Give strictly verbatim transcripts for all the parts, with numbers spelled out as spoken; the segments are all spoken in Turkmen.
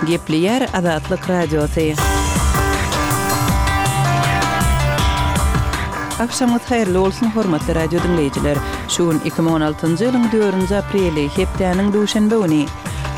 Gepleýär Azatlyk Radiosy. Agşamyňyz haýyrly bolsun, hormatly radio diňleýjiler. Şu gün iki müň on altynjy ýylyň dördünji apreli, hepdäniň duşenbe güni.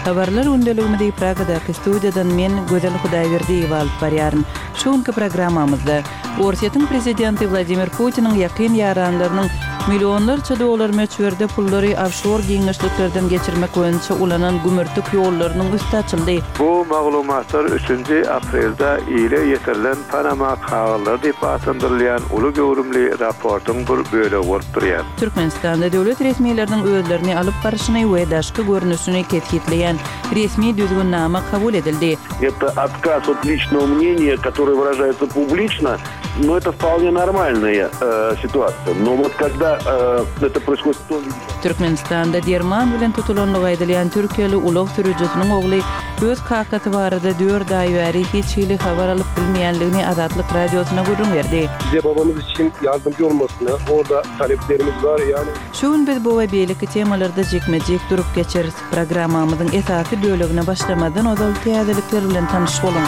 Habarlar gündeligimizi Pragadaky studiýadan men, Gözel Hudaýberdiýewa alyp barýaryn. Şu günki programmamyzda Orsýetiň prezidenti Wladimir Putiniň ýakyn ýaranlarynyň millionlarça dollar möçberde pullary ofşor giňişliklerden geçirmek boýunça ulanan gümürtik ýollarynyň üsti açyldy. Bu maglumatlar üçünji aprelde ile ýetirilen Panama kagyzlary diýip atlandyrylýan uly göwrümli raportyň bir bölegi bolup durýar. Türkmenistanda döwlet resmileriniň özlerini alyp baryşyny we daşky görnüşini kesgitleýän resmi düzgünnama kabul edildi. Это отказ от личного мнения, которое выражается публично, но это вполне нормальная, э, ситуация. Но вот когда, э, это происходит в том виде... Türkmenistanda derman bilen tutulanlygy aýdylýan türkiýeli ulag sürüjisiniň ogly öz kakasy barada dört aý bäri hiç hili habar alyp bilmeýänligini Azatlyk Radiosyna gürrüň berdi. Bize babamız için yardımcı olmasını, orada taleplerimiz var yani. Şu gün biz bu we beýleki temalarda jikme-jik durup geçeris. Programmamyzyň esasy bölegine başlamadan ozal täzelikler bilen tanyş boluň.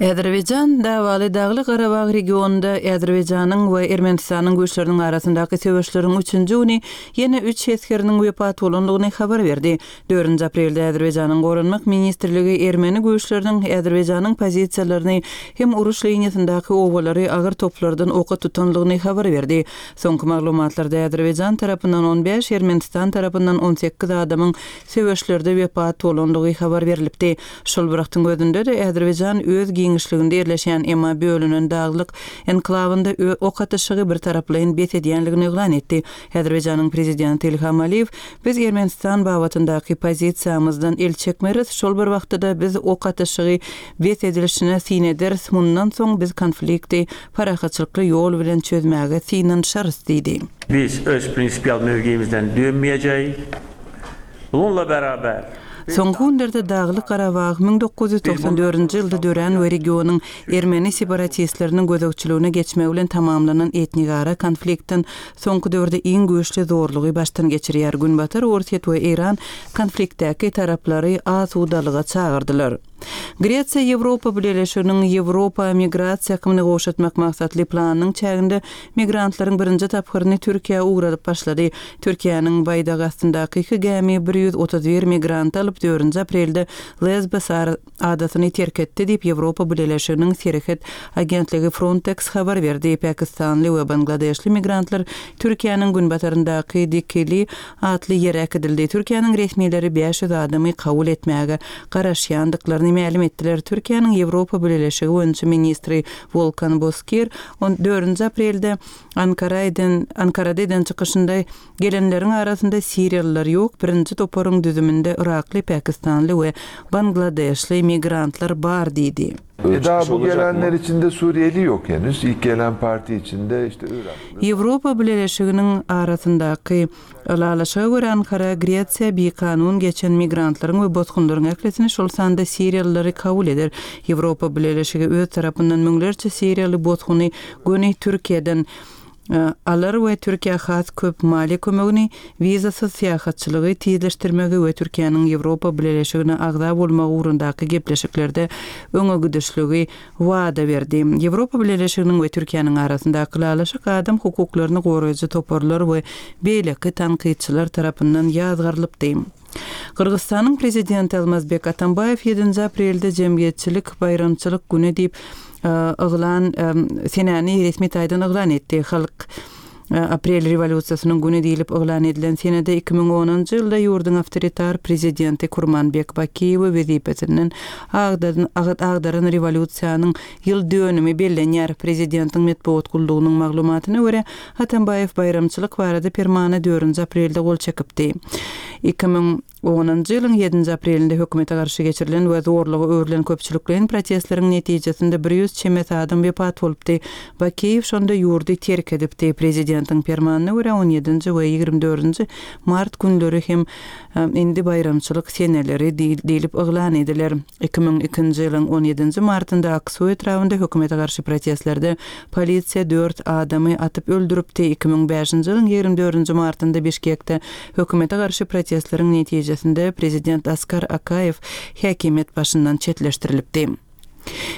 Azerbaýjan davaly Dagly Garabag regionunda Azerbaýjanyň we Ermenistanyň güýçleriniň arasyndaky söweşleriň üçünji güni ýene üç esgeriniň wepat bolandygyny habar berdi. Dördünji aprelde Azerbaýjanyň Goranmak ministrligi Ermeni güýçleriniň Azerbaýjanyň pozisiýalaryny hem uruş liniýasyndaky obalary agyr toplardan oka tutanlygyny habar berdi. Soňky maglumatlarda Azerbaýjan tarapyndan on bäş, Ermenistan tarapyndan on sekiz adamyň söweşlerde wepat bolandygy habar berilipdi. Şol bir wagtyň özünde de Azerbaýjan öz giňişliginde ýerleşen emma bölünen daglyk enklawynda ö-, ok atyşygy bir taraplaýyn bes edýänligini yglan etdi. Azerbaýjanyň prezidenti Ilham Aliýew biz Ermenistan babatyndaky pozisiýamyzdan el çekmeris, şol bir wagtda da biz ok atyşygy bes edilişine syn ederis, mundan soň biz konflikti parahatçylykly ýol bilen çözmäge synanyşarys diýdi. Biz öz prinsipial mövqeyimizden dönmeyeceğiz. Bununla beraber Soňky günlerde Daglyk Garabag müň dokuz ýüz togsan dördünji ýylda dörän we regionyň ermeni separatistleriniň gözegçiligine geçmegi bilen tamamlanan etnigara konfliktden soňky döwürde iň güýçli zorlugy başdan geçirýär. Günbatar Orsýet we Eýran konfliktdäki taraplary asudalyga çagyrdylar. Gresiýa Ýewropa Bileleşiginiň Ýewropa migrasiýa akymyny gowşatmak maksatly planynyň çäginde migrantlaryň birinji tapgyryny Türkiýä ugradyp başlady. Türkiýäniň baýdagy astyndaky iki gämi bir ýüz otuz bir migrant alyp dördünji aprelde Lesbos adasyny terk etdi diýip Ýewropa Bileleşiginiň serhet agentligi Frontex habar berdi. Pakistanly we Bangladeşli migrantlar Türkiýäniň günbataryndaky Dikili atly ýere äkidildi. Türkiýäniň resmileri bäş ýüz adamy kabul etmäge garaşýandyklaryny mälim etdiler. Türkiýäniň Ýewropa Bileleşigi boýunça ministri Volkan Bozkir on dördünji aprelde Ankara eden, Ankarada eden çykyşynda gelenleriň arasynda Siriýalylar ýok, birinji toparyň düzüminde Irakly, Pakistanly we Bangladeşli migrantlar bar diýdi. E, daha bu Olacak mı? gelenler içinde Suriyeli yok henüz. İlk gelen parti içinde işte Iraklı. Ýewropa Bileleşiginiň arasyndaky ylalaşyga görä Ankara Gresiýa bir kanun geçen migrantlaryň we bosgunlaryň ählisini şol sanda Siriýalylary kabul eder. Ýewropa Bileleşigi öz tarapyndan müňlerçe Siriýaly bosguny göni Türkiýeden, e, alar we Türkiýä has köp maliýe kömegini, wizasyz syýahatçylygy tizleşdirmegi we Türkiýäniň Ýewropa Bileleşigine agza bolmagy ugrundaky gepleşiklerde öňe gidişligi wada berdi. Ýewropa Bileleşiginiň we Türkiýäniň arasyndaky ylalaşyk adam hukuklaryny goraýjy toparlar we beýleki tankytçylar tarapyndan ýazgarylypdy. Gyrgyzystanyň prezidenti Almazbek Atambaýew ýedinji aprelde jemgyýetçilik baýramçylyk güni diýip, e, yglan, e, senäni resmi taýdan yglan etdi. Halk, e, aprel rewolýusiýasynyň güni diýlip yglan edilen senede iki müň onunjy ýylda ýurduň awtoritar prezidenti Kurmanbek Bakiýew wezipesinden agdaran, agdaran rewolýusiýanyň ýyl dönümi bellenýär. Prezidentiň metbugat gullugynyň maglumatyna görä Atambaýew baýramçylyk barada permana dördünji aprelde gol çekipdi. Iki müň onunjy ýylyň ýedinji aprelinde hökümete garşy geçirilen we zorluga öwrülen köpçülikleýin protestleriň netijesinde bir ýüz çemesi adam wepat bolupdy. Bakiýew şonda ýurdy terk edipdi. Prezidentiň permanyna görä on ýedinji we ýigrimi dördünji mart günleri hem, e, indi baýramçylyk seneleri diýil-, diýlip yglan ediler. Iki müň ikinji ýylyň on ýedinji martynda Aksu etrabynda hökümete garşy protestlerde polisiýa dört adamy atyp öldüripdi. Iki müň bäşinji ýylyň ýigrimi dördünji martynda Bişkekde hökümete garşy protestleriň netijesinde netijesinde prezident Askar Akaýew häkimiýet başyndan çetleşdirilipdi.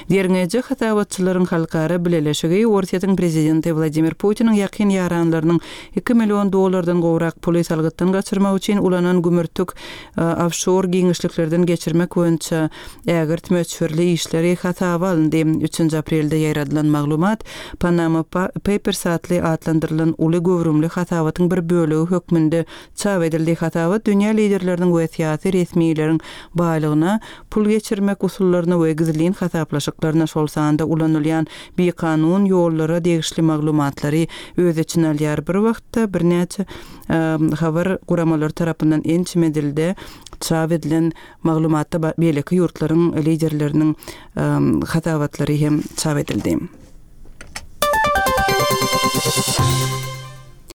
Derňeýji hasabatçylaryň halkara bileleşigi Orsýetiň prezidenti Wladimir Putiniň ýakyn ýaranlarynyň iki million dollardan gowrak puly salgytdan gaçyrmak üçin ulanan gümürtik ofşor giňişliklerden geçirmek boýunça ägirt möçberli işleri hasaba alyndy. Üçünji aprelde ýaýradylan maglumat Panama Papers atly atlandyrylan uly göwrümli hasabatyň bir bölegi hökmünde çap edildi. Hasabat dünýä liderleriniň we syýasy resmileriň baýlygyna, pul geçirmek usullaryna we gizlin hasaplaşyklaryna, şol sanda ulanylýan bikanun ýollara degişli maglumatlary öz içine alýar. Bir wagtda birnäçe habar guramalary tarapyndan ençeme dilde çap edilen maglumatda beýleki ýurtlaryň liderleriniň hasabatlary hem çap edildi.